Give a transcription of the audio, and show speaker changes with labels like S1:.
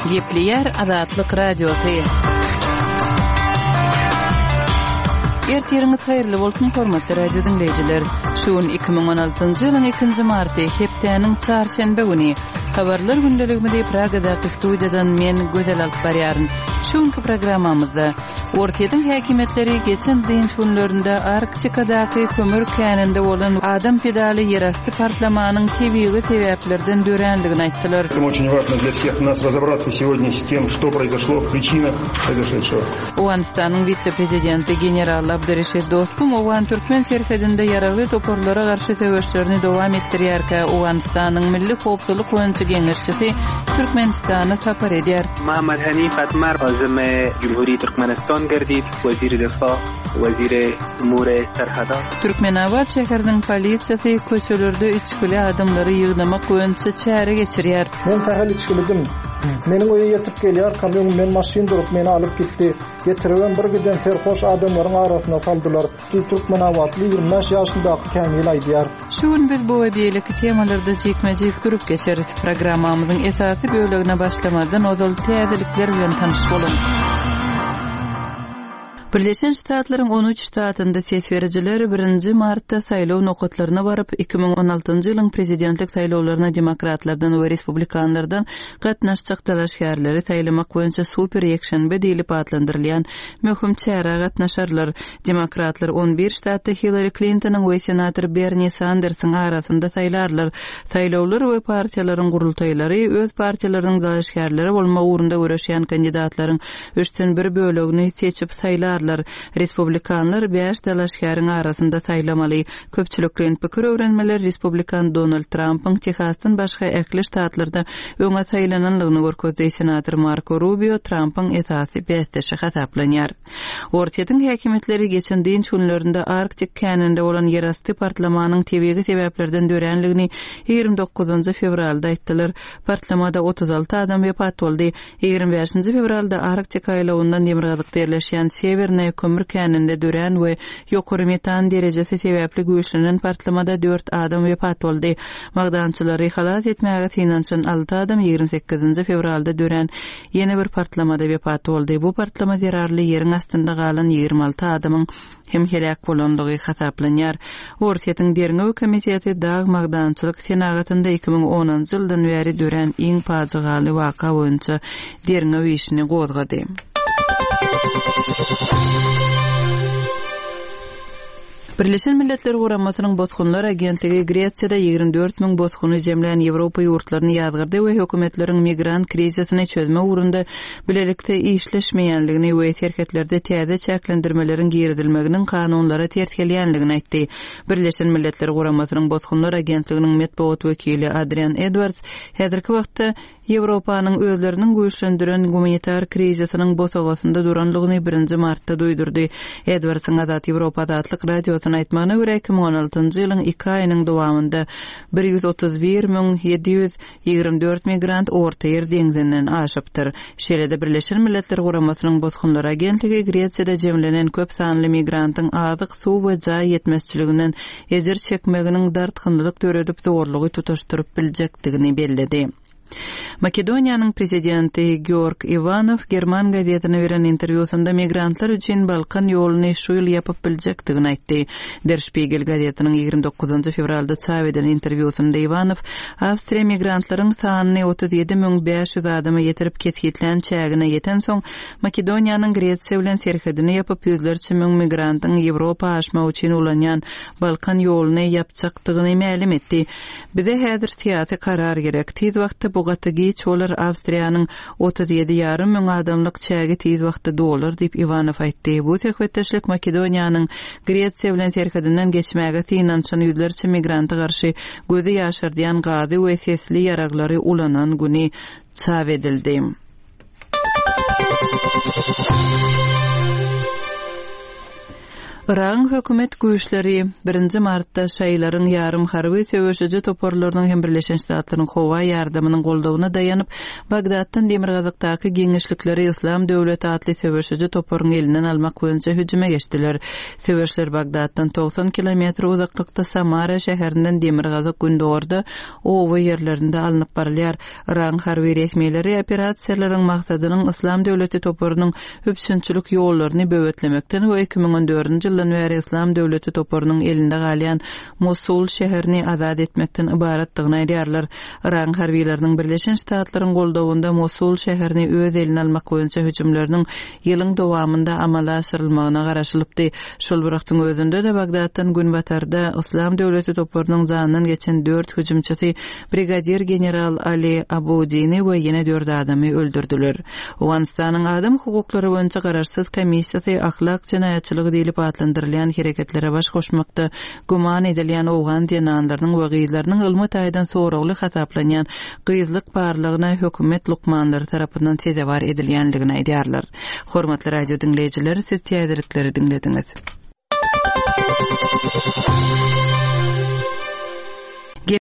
S1: Gepleýär Azatlyk Radiosy. Ertiriňiz haýyrly bolsun, hormatly radio diňleýjiler. Şu gün 2016-njy ýylyň 2-nji marty, hepdäniň çarşenbe güni. Habarlar gündeligimizi Pragadaky studiýadan men Gözel alyp barýaryn. Şu günki programmamyzda Orsýetiň häkimiýetleri geçen dynç günlerinde Arktikadaky kömür käninde bolan adam pidaly ýerasty partlamanyň tebigy sebäplerden dörändigini aýtdylar.
S2: Это очень важно для всех нас разобраться сегодня с тем, что произошло, в причинах произошедшего.
S1: Owganystanyň wise-prezidenti general Abdureşid Dostum owgan-türkmen serhedinde ýaragly toparlara garşy söweşlerini dowam etdirýärkä, Owganystanyň Milli howpsuzlyk boýunça geňeşçisi Türkmenistana sapar edýär.
S3: Muhammad Hanif Atmar azim Jumhuri Türkmenistan gerdid, Wezir Difa, Wezir Umur Serhadat.
S1: Türkmenabat şäheriniň polisiýasy köçelerde içgili adamlary ýygnamak boýunça çäre geçirýär.
S4: Men sähel içgilidim. Meniň öýe ýetip gelýärkäm öňümden maşyn durup meni alyp gitdi. Getiribem bir giden serhoş adamlaryň arasyna saldylar, diýip türkmenabatly 25 ýaşyndaky Kämil aýdýar.
S1: Şu gün biz bu we beýleki temalarda jikme-jik durup geçeris. Programmamyzyň esasy bölegine başlamazdan ozal täzelikler bilen tanyş boluň. Birleşen Ştatlaryň on üç ştatynda ses berijiler birinji martda saýlaw nokatlaryna baryp, 2016-njy ýylyň prezidentlik saýlawlaryna demokratlardan we respublikanlardan gatnaşjak dalaşgärleri saýlamak boýunça super ýekşenbe diýlip atlandyrylýan möhüm çärä gatnaşarlar. Demokratlar on bir ştatda Hillari Klintonyň we senator Berni Sandersiň arasynda saýlarlar. Saýlawlar we partiýalaryň gurultaýlary öz partiýalarynyň dalaşgärleri bolmak ugrunda göreşýän kandidatlaryň üçden bir bölegini seçip saýlarlar. Respublikanlar bäş dalaşgäriň arasynda saýlamaly. Köpçülikleýin pikir öwrenmeler respublikan Donald Trampyň Tehasdan başga ähli ştatlarda öňe saýlananlygyny görkezdi. Senator Marko Rubio Trampyň esasy bäsdeşi hasaplanýar. Orsýetiň häkimiýetleri geçen dynç günlerinde Arktik käninde bolan ýerasty partlamanyň tebigy sebäplerden döränligini 29 fewralda aýtdylar. Partlamada 36 adam wepat boldy. 25 fewralda Arktika aýlawyndan demirgazykda ýerleşýän Sewernaýa kömür käninde dörän we ýokary metan derejesi sebäpli güýçlenen partlamada dört adam wepat boldy. Magdançylary halas etmäge synanyşan alty adam 28 fewralda dörän Ýene bir partlamada wepat boldy. Bu partlama zerarly ýeriň astynda galan 26 adamyň hem heläk bolandygy hasaplanýar. Orsýetiň Derňew komiteti dag-magdançylyk senagatynda 2010-njy ýyldan bäri dörän iň pajygaly waka boýunça derňew işini gozgady. Birleşen Milletler Guramasynyň Bosgunlar agentligi Gresiýada 24 müň bosguny jemlän Ýewropa ýurtlaryny ýazgardy we hökümetleriň migrant krizisini çözmek ugrunda bilelikde işleşmeýänligini we serhetlerde täze çäklendirmeleriň girizilmeginiň kanunlara ters gelýänligini aýtdy. Birleşen Milletler Guramasynyň Bosgunlar agentliginiň metbugat wekili Adrian Edwards häzirki wagtda Ýewropanyň özleriniň güýçlendiren gumanitar krizisiniň bosagasynda duranlygyny birinji martda duýdurdy. Edwardsyň Azat Ýewropa Azatlyk Radiosyna aýtmagyna görä, 2016-njy ýylyň iki aýynyň dowamynda 131 724 migrant Ortaýer deňzinden aşypdyr. Şeýle-de Birleşen Milletler Guramasynyň Bosgunlar agentligi Gresiýada jemlenen köp sanly migrantyň azyk, suw we jaý ýetmezçiliginden ejir çekmeginiň dartgynlylyk döredip zorlugy tutaşdyryp biljekdigini belledi. Makedoniýanyň prezidenti Georg Iwanow german gazetine beren interwýusynda migrantlar üçin Balkan ýoluny şu ýyl ýapyp biljekdigini aýtdy. Der Spiegel gazetiniň 29 fewralda çap eden interwýusynda Iwanow Awstriýa migrantlaryň sanyny 37 500 adama ýetirip kesgitlän çägine ýetensoň, Makedoniýanyň Gresiýa bilen serhedini ýapyp, ýüzlerçe müň migrantyň Ýewropa aşmak üçin ulanýan Balkan ýoluny ýapjakdygyny mälim etdi. Bize häzir syýasy karar gerek. Tiz wagtda bu gaty giç bolar, Awstriýanyň 37 ýarym müň adamlyk çägi tiz wagtda dolar diýip, Iwanow aýtdy. Bu söhbetdeşlik Makedoniýanyň Gresiýa bilen serhedinden geçmäge synanyşan ýüzlerçe migranta garşy gözi ýaşardýan gazy we sesli ýaraglary ulanan güni çap edildi. Yragyň hökümet güýçleri birinji martda şaýylaryň ýarym harby söweşiji toparlarynyň hem Birleşen Ştatlaryň howa ýardamynyň goldawyna daýanyp, Bagdatdan demirgazykdaky giňişlikleri Yslam döwleti atly söweşiji toparyň elinden almak boýunça hüjüme geçdiler. Söweşler Bagdatdan 90 kilometr uzaklykda Samara şäherinden demirgazyk-gündogarda oba ýerlerinde alnyp barylýar. Yragyň harby resmileri operasiýalaryň maksadynyň Yslam döwleti toparynyň üpjünçilik ýollaryny böwetlemekden we 2014-nji ýyldan bäri Yslam döwleti toparynyň elinde galýan Mosul şäherini azat etmekden ybaratdygyny aýdýarlar. Yragyň harbylarynyň Birleşen Ştatlaryň goldawynda Mosul şäherini öz eline almak boýunça hüjümleriniň ýylyň dowamynda amala aşyrylmagyna garaşylypdy. Şol bir wagtyň özünde-de Bagdatdan günbatarda Yslam döwleti toparynyň janyndan geçen dört hüjümçisi brigadir general Ali Abudini we ýene dört adamy öldürdiler. Owganystanyň Adam hukuklary boýunça garaşsyz komissiýasy ahlak jenaýatçylygy diýlip atlandyrylýan hereketlere baş goşmakda güman edilýän owgan zenanlarynyň we gyzlarynyň ylmy taýdan soragly hasaplanýan gyzlyk barlagyna hökümet lukmanlary tarapyndan sezewar edilýändigini aýdýarlar. Hormatly radio diňleýjiler, siz täzelikleri diňlediňiz.